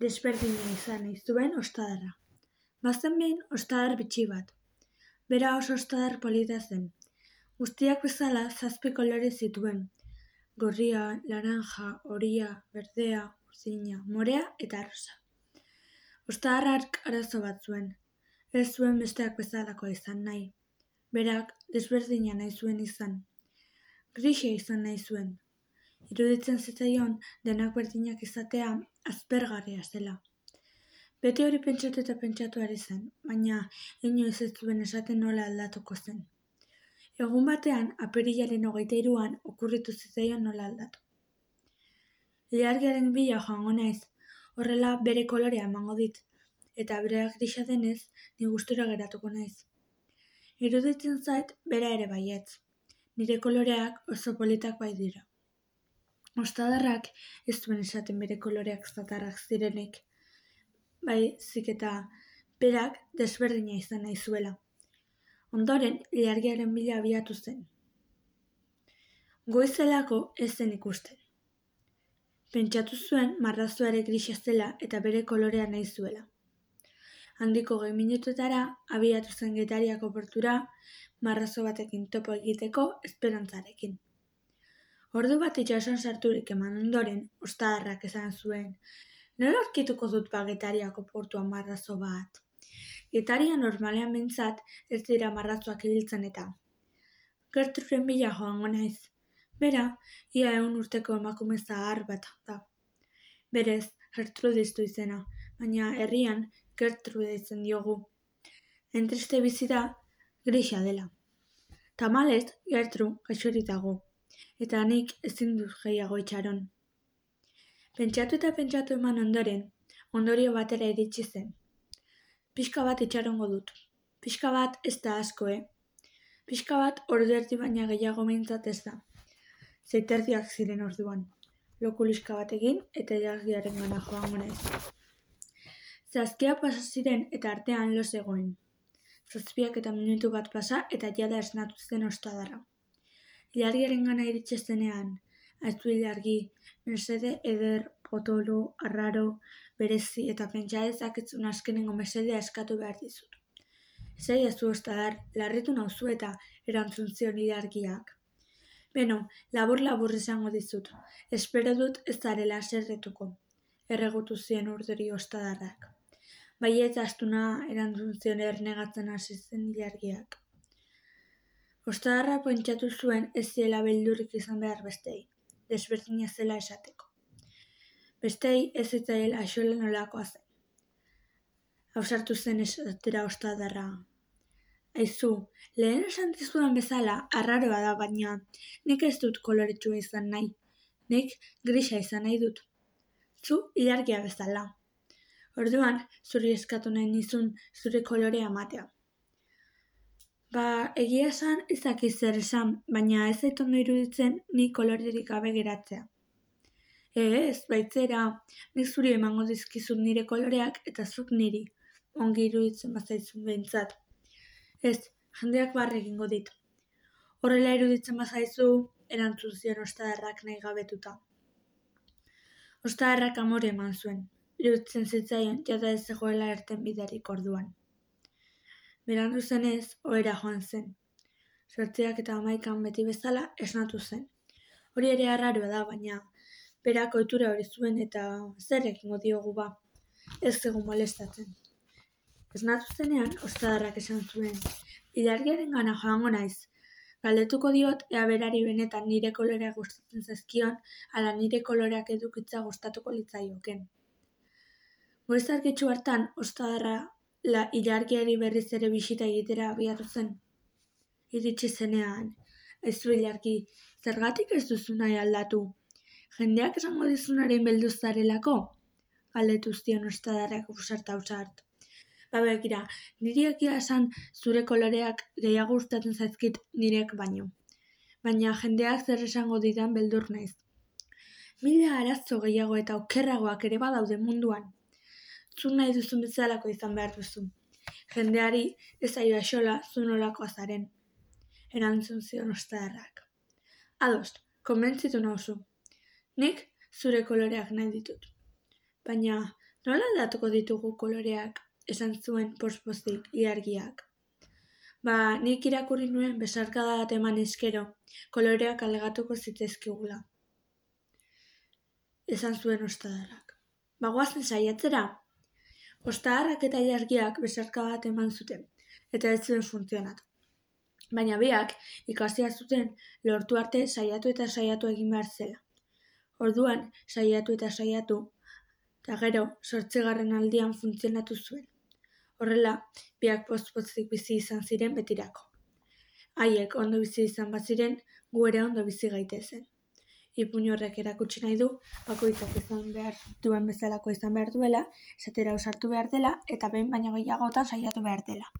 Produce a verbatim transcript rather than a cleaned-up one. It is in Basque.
desberdina izan nahi zuen ostadarra. Bazen behin ostadar bitxi bat. Bera oso ostadar polita zen. Guztiak bezala zazpi kolore zituen. Gorria, laranja, horia, berdea, urdina, morea eta rosa. Ostadarrak arazo bat zuen. Ez zuen besteak bezalako izan nahi. Berak desberdina nahi zuen izan. Grisa izan nahi zuen. Iruditzen zitzaion denak berdinak izatea aspergarria zela. Beti hori pentsatu eta pentsatu ari zen, baina inoiz ez zuen esaten nola aldatuko zen. Egun batean, apirilaren hogeita hiruan okurritu zitzaion nola aldatu. Ilargiaren bila joango naiz, horrela bere kolorea emango dit, eta bereak grisa denez, ni gustura geratuko naiz. Iruditzen zait, bera ere baietz. Nire koloreak oso politak bai dira. Ostadarrak ez zuen esaten bere koloreak zatarrak zirenik, baizik eta berak desberdina izan nahi zuela. Ondoren, ilargiaren bila abiatu zen. Goizelako ez zen ikusten. Pentsatu zuen marrazoare grisa zela eta bere kolorea nahi zuela. Handiko gehi minutuetara abiatu zen Getariako portura marrazo batekin topo egiteko esperantzarekin. Ordu bat itsasoan sarturik eman ondoren, ostadarrak esan zuen, nola aurkituko dut ba Getariako portuan marrazo bat? Getaria normalean behintzat ez dira marrazoak ibiltzen eta. Gertruren bila joango naiz. Bera, ia ehun urteko emakume zahar bat da. Berez, Gertrudis du izena, baina herrian Gertrude izen diogu. Entriste bizi da, grisa dela. Tamalez, Gertru gaixorik dago, eta nik ezin dut gehiago itxaron. Pentsatu eta pentsatu eman ondoren, ondorio batera iritsi zen. Pixka bat itxarongo dut. Pixka bat ez da asko, eh? Pixka bat ordu erdi baina gehiago behintzat ez da. Zeiterdiak ziren orduan. Lokuliska bat egin eta ilargiaren gana joango naiz. Zazkia pasa ziren eta artean lo zegoen. Zazpiak eta minutu bat pasa eta jada esnatu zen ostadarra. Ilargiaren gana iritsi zenean, aizu ilargi, mesede eder, potolo, arraro, berezi eta pentsa dezaketzun azkenengo mesedea eskatu behar dizut. Esaiazu ostadar, larritu nauzu eta erantzun zion ilargiak. Beno, labur-labur esango dizut, espero dut ez zarela zerretuko, erregutu zien urduri ostadarrak. Baietz astuna erantzun zion ernegatzen hasi zen ilargiak. Ostadarra pentsatu zuen ez ziela beldurrik izan behar bestei, desberdina zela esateko. Bestei ez zitzaiela axola nolakoa zen. Ausartu zen esatera ostadarra. Aizu, lehen esan dizudan bezala, arraroa da baina, nik ez dut koloretsua izan nahi. Nik grisa izan nahi dut. Zu ilargia bezala. Orduan, zuri eskatu nahi nizun zure kolorea ematea. Ba, egia esan izaki zer esan, baina ez zait ondo iruditzen ni kolorerik gabe geratzea. Ez, baitzera, nik zuri emango dizkizut nire koloreak eta zuk niri, ongi iruditzen bazaizun behintzat. Ez, jendeak barre egingo dit. Horrela iruditzen bazaizu, erantzun zion ostadarrak nahi gabetuta. Ostadarrak amore eman zuen, iruditzen zitzaion jada ez zegoela erten biderik orduan. Berandu zenez, ohera joan zen. Zortziak eta hamaikan beti bezala esnatu zen. Hori ere arraroa da, baina berak ohitura hori zuen eta zer egingo diogu ba, ez zegoen molestatzen. Esnatu zenean, ostadarrak esan zuen, ilargiaren gana joango naiz. Galdetuko diot ea berari benetan nire koloreak gustatzen zaizkion, ala nire koloreak edukitza gustatuko litzaioken. Goiz argitsu hartan, ostadarra la ilargiari berriz ere bisita egitera abiatu zen. Iritsi zenean, aizu ilargi, zergatik ez duzu nahi aldatu? Jendeak esango dizunaren beldu zarelako? Galdetu zion ostadarrak ausart-ausart. Ba begira, niri egia esan zure koloreak gehiago gustatzen zaizkit nirek baino. Baina jendeak zer esango didan beldur naiz. Mila arazo gehiago eta okerragoak ere badaude munduan. Zu nahi duzun bezalako izan behar duzu. Jendeari ez zaio axola zu nolakoa zaren. Erantzun zion ostadarrak. Ados, konbentzitu nauzu. Nik zure koloreak nahi ditut. Baina Nola aldatuko ditugu koloreak, esan zuen poz-pozik ilargiak. Ba, nik irakurri nuen besarkada bat eman eskero, koloreak aldatuko zitezkigula. Esan zuen ostadarrak. Ba, goazen saiatzera. Ostadarrak eta ilargiak besarkada bat eman zuten, eta ez zuen funtzionatu. Baina biak ikasia zuten lortu arte saiatu eta saiatu egin behar zela. Orduan, saiatu eta saiatu, eta gero, zortzigarren aldian funtzionatu zuen. Horrela, biak poz-pozik bizi izan ziren betirako. Haiek ondo bizi izan baziren, gu ere ondo bizi gaitezen. Ipuin horrek erakutsi nahi du, bakoitzak izan behar duen bezalako izan behar duela, esatera ausartu behar dela, eta behin baino gehiagotan saiatu behar dela.